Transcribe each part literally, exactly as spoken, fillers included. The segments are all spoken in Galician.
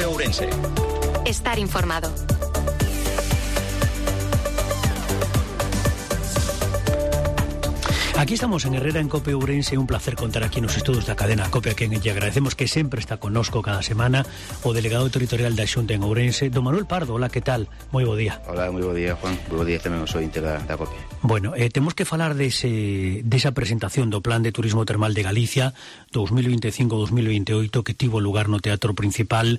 COPE Ourense. Estar informado. Aquí estamos en Herrera, en COPE Ourense. Un placer contar aquí nos estudios da cadena COPE, a quen lle agradecemos que sempre está connosco cada semana o delegado territorial da Xunta en Ourense, don Manuel Pardo. Hola, que tal? Moi bo día. Hola, moi bo día, Juan. Moi bo día tamén os ointes da, da COPE. Bueno, eh, temos que falar dese, desa presentación do Plan de Turismo Termal de Galicia dos mil veinticinco a dos mil veintioito que tivo lugar no Teatro Principal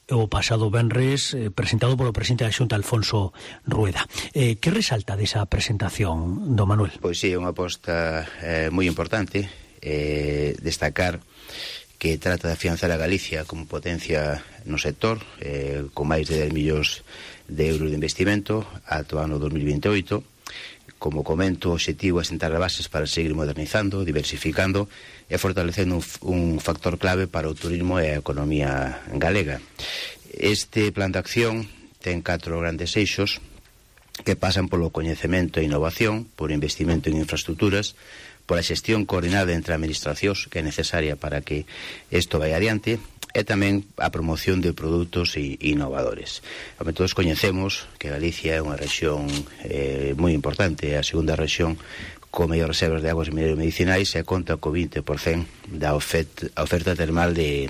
o pasado venres, eh, presentado polo presidente da Xunta, Alfonso Rueda. Eh, que resalta desa presentación, don Manuel? Pois sí, é unha aposta eh, moi importante, eh, destacar que trata de afianzar a Galicia como potencia no sector, eh, con máis de dez millóns de euros de investimento ata o ano dos mil veintioito. Como comento, o obxectivo é sentar as bases para seguir modernizando, diversificando e fortalecendo un, un factor clave para o turismo e a economía galega. Este plan de acción ten catro grandes eixos que pasan polo coñecemento e innovación, por investimento en infraestructuras, pola xestión coordinada entre administracións que é necesaria para que isto vai adiante, e tamén a promoción de produtos innovadores. Como todos coñecemos que Galicia é unha rexión eh, moi importante, é a segunda rexión con mellor reservas de aguas minerais medicinais e conta co vinte por cento da oferta, oferta termal de,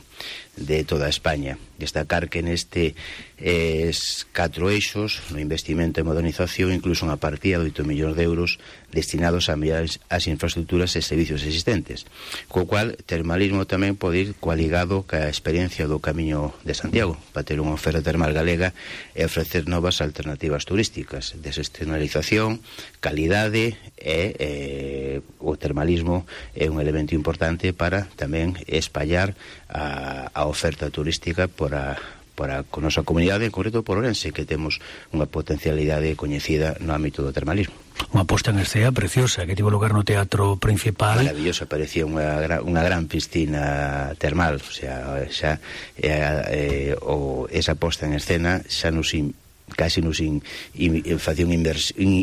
de toda España. Destacar que neste eh, catro eixos, no investimento e modernización, incluso unha partida de oito millóns de euros destinados a mellorar as infraestructuras e servicios existentes, co cual termalismo tamén pode ir coaligado ca experiencia do Camiño de Santiago para ter unha oferta termal galega e ofrecer novas alternativas turísticas, desexternalización, calidade e eh, o termalismo é un elemento importante para tamén espallar a, a oferta turística por a para a nosa comunidade, en concreto por Ourense, que temos unha potencialidade coñecida no ámbito do termalismo. Unha posta en escena preciosa que tivo lugar no Teatro Principal. Maravillosa, parecía unha, unha gran piscina termal, o sea, xa eh, eh, o, esa posta en escena xa nos in, casi nos in, in, in, facía unha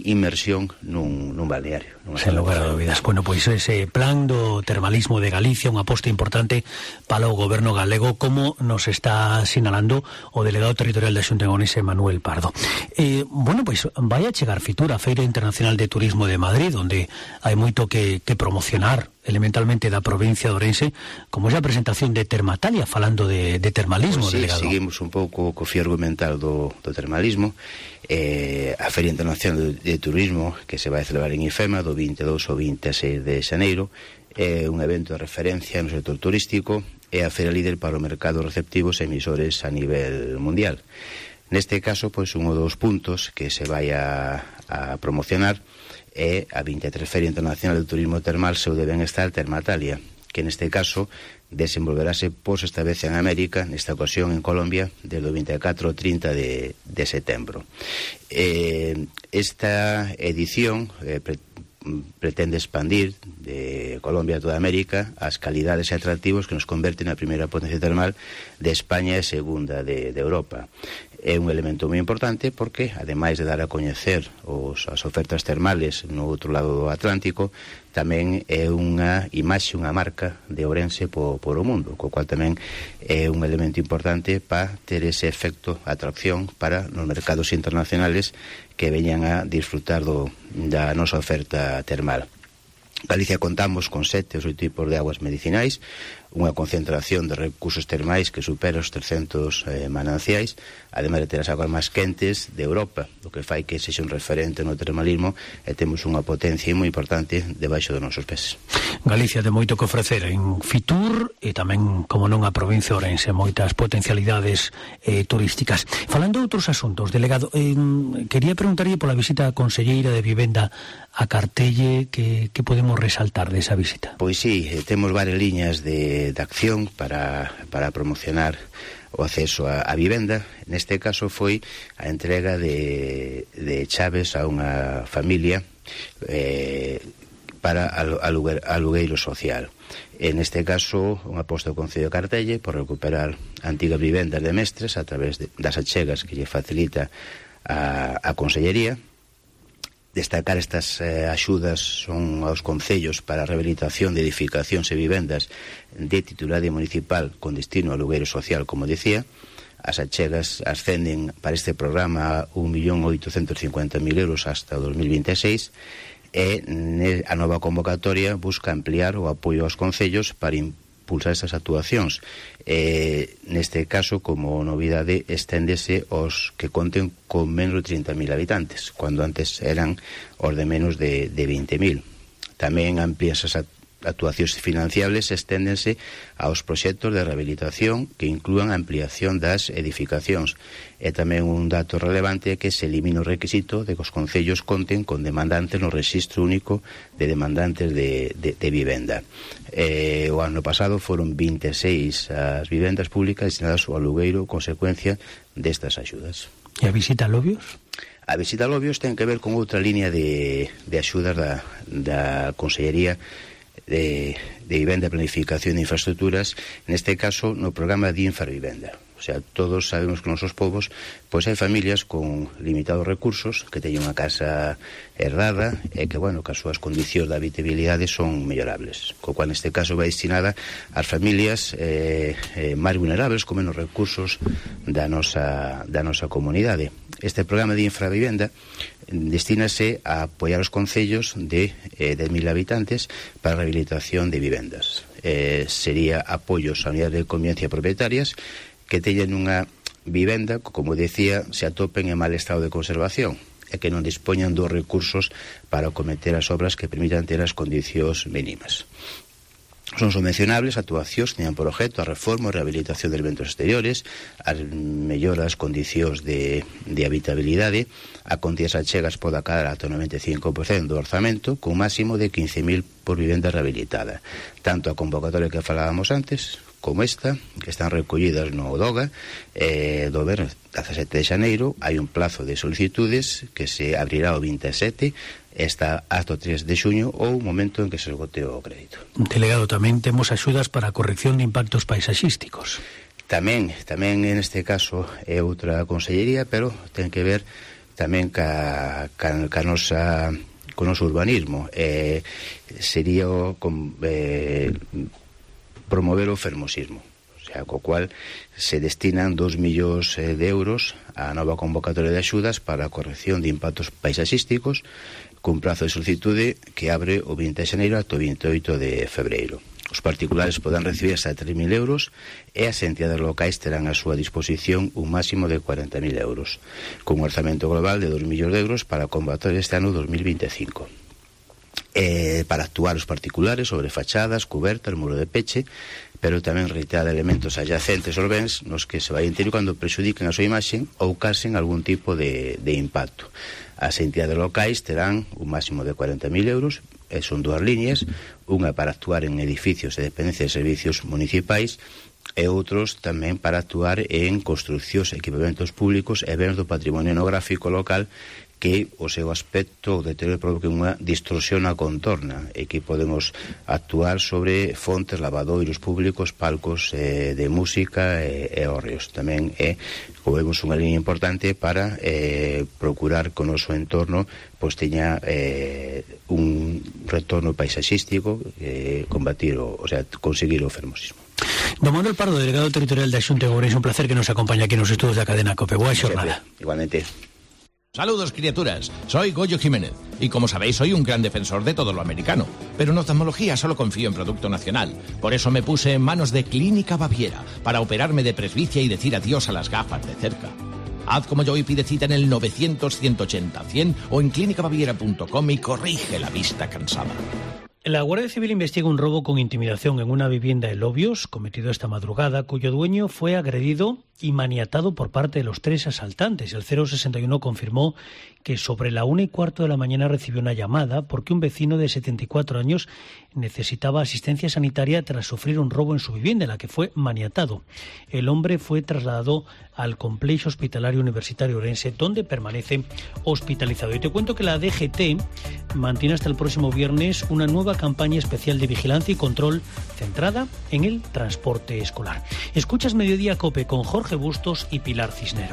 inmersión nun, nun balneario. Sen lugar a dúbidas. Bueno, pois ese plan do termalismo de Galicia, unha aposta importante para o goberno galego, como nos está sinalando o delegado territorial da Xunta en Ourense, Manuel Pardo. Eh, bueno, pois vai a chegar Fitur, a Feira Internacional de Turismo de Madrid, onde hai moito que, que promocionar elementalmente da provincia de Ourense, como esa presentación de Termatalia, falando de, de termalismo, pues sí, delegado. Seguimos un pouco co fío argumental do, do termalismo. Eh, a Feira Internacional de, de Turismo, que se vai celebrar en IFEMA do vinte e dous ao vinte e seis de xaneiro, é un evento de referencia no sector turístico e a feira líder para o mercado receptivos e emisores a nivel mundial. Neste caso, pois, un dos puntos que se vai a, a promocionar é a vinte e tres Feira Internacional de Turismo Termal Seu de Benestar Termatalia, que neste caso desenvolverase por esta vez en América, nesta ocasión en Colombia, desde o vinte e catro ao trinta de, de setembro. Eh, esta edición eh, pre, pretende expandir de Colombia a toda América as calidades e atractivos que nos converten na primeira potencia termal de España e segunda de, de Europa. É un elemento moi importante porque, ademais de dar a coñecer os, as ofertas termales no outro lado do Atlántico, tamén é unha imaxe, unha marca de Ourense por, por o mundo, co cual tamén é un elemento importante para ter ese efecto atracción para nos mercados internacionales que veñan a disfrutar do, da nosa oferta termal. Galicia contamos con sete ou oito tipos de aguas medicinais, unha concentración de recursos termais que supera os trescentos eh, mananciais, ademais de ter as aguas máis quentes de Europa, o que fai que sexa un referente no termalismo e temos unha potencia moi importante debaixo dos nosos pés. Galicia de moito que ofrecer en Fitur e tamén, como non, a provincia de Ourense, moitas potencialidades eh, turísticas. Falando de outros asuntos, delegado, eh, quería preguntarlle pola visita da conselleira de Vivenda a Cartelle, que, que podemos resaltar desa visita? Pois sí, eh, temos varias liñas de, de acción para, para promocionar o acceso a, a vivenda. Neste caso foi a entrega de, de chaves a unha familia eh, para aluguer, alugueiro social. En este caso, unha aposta do Concello de Cartelle por recuperar antigas vivendas de mestres a través de, das achegas que lle facilita a, a Consellería. Destacar estas eh, axudas son aos concellos para a rehabilitación de edificacións e vivendas de titularidade municipal con destino a alugueiro social, como dicía, As achegas ascenden para este programa a un millón oitocentos cincuenta mil euros hasta o dos mil vinte e seis, e a nova convocatoria busca ampliar o apoio aos concellos para impulsar estas actuacións. Eh, neste caso, como novidade, esténdese aos que conten con menos de trinta mil habitantes, cando antes eran os de menos de, de vinte mil. Tamén amplía esas actuacións financiables, esténdense aos proxectos de rehabilitación que inclúan a ampliación das edificacións. E tamén un dato relevante é que se elimina o requisito de que os concellos conten con demandantes no Rexistro Único de Demandantes de, de, de Vivenda. Eh, o ano pasado foron vinte e seis as vivendas públicas destinadas ao alugueiro consecuencia destas axudas. E a visita a Lobios? A visita a Lobios ten que ver con outra línea de, de axudas da, da Consellería de, de Vivenda, Planificación e Infraestructuras, neste caso no programa de Infravivenda. O sea, todos sabemos que nos nosos povos pois hai familias con limitados recursos que teñen unha casa herdada e que, bueno, que as súas condicións de habitabilidade son mellorables, co cual neste caso vai destinada ás familias eh, eh, máis vulnerables con menos recursos da nosa, da nosa comunidade. Este programa de Infravivenda destínase a apoiar os concellos de eh, dez mil habitantes para a rehabilitación de vivendas. Eh, sería apoios a unidades de convivencia propietarias que teñen unha vivenda, como decía, se atopen en mal estado de conservación e que non dispoñan dos recursos para cometer as obras que permitan ter as condicións mínimas. Son subvencionables actuacións que teñan por objeto a reforma e rehabilitación de elementos exteriores, as melloras condicións de, de habitabilidade, a contías achegas pode acabar ata o noventa e cinco por cento do orzamento, con un máximo de quince mil por vivenda rehabilitada. Tanto a convocatoria que falábamos antes como esta, que están recollidas no DOGA, eh, do ver dezasete de xaneiro, hai un plazo de solicitudes que se abrirá o vinte e sete, está hasta o tres de xuño ou o momento en que se esgote o crédito. Delegado, tamén temos axudas para a corrección de impactos paisaxísticos. Tamén, tamén en este caso é outra consellería, pero ten que ver tamén ca, ca, ca nosa, co noso urbanismo. Eh, sería o, con, eh, promover o fermosismo, o sea, co cual se destinan dos millóns de euros á nova convocatoria de axudas para a corrección de impactos paisaxísticos, cun prazo de solicitude que abre o vinte de xaneiro ata o vinte e oito de febreiro. Os particulares poden recibir hasta tres mil euros e as entidades locais terán a súa disposición un máximo de cuarenta mil euros, con un orzamento global de dos millóns de euros para a convocatoria este ano dos mil vinte e cinco. Eh, para actuar os particulares sobre fachadas, cubertas, muro de peche, pero tamén reiterar elementos adyacentes aos bens nos que se vai intervir cando prexudiquen a súa imaxe ou casen algún tipo de, de impacto. As entidades locais terán un máximo de cuarenta mil euros, e son dúas líneas, unha para actuar en edificios e dependencias de servicios municipais e outros tamén para actuar en construcións, equipamentos públicos e bens do patrimonio etnográfico local que o seu aspecto, o deterioro provoque unha distorsión na contorna e que podemos actuar sobre fontes, lavadoiros públicos, palcos eh, de música e, e hórreos. Tamén é, como vemos, unha línea importante para eh, procurar que o noso entorno pois teña eh, un retorno paisaxístico, eh, combatir, o, o sea, conseguir o fermosismo. Don Manuel Pardo, delegado territorial da Xunta de Ourense, un placer que nos acompañe aquí nos estudos da cadena COPE. Boa xornada. Igualmente. Saludos, criaturas. Soy Goyo Jiménez y, como sabéis, soy un gran defensor de todo lo americano. Pero en oftalmología solo confío en producto nacional. Por eso me puse en manos de Clínica Baviera para operarme de presbicia y decir adiós a las gafas de cerca. Haz como yo y pide cita en el novecientos, ciento ochenta, cien o en clínica baviera punto com y corrige la vista cansada. La Guardia Civil investiga un robo con intimidación en una vivienda en Lobios, cometido esta madrugada, cuyo dueño fue agredido y maniatado por parte de los tres asaltantes. El cero sesenta y uno confirmó que sobre la una y cuarto de la mañana recibió una llamada porque un vecino de setenta y cuatro años necesitaba asistencia sanitaria tras sufrir un robo en su vivienda, en la que fue maniatado. El hombre fue trasladado al Complejo Hospitalario Universitario Ourense, donde permanece hospitalizado. Y te cuento que la D G T mantiene hasta el próximo viernes una nueva campaña especial de vigilancia y control centrada en el transporte escolar. Escuchas Mediodía COPE con Jorge Bustos y Pilar Cisneros.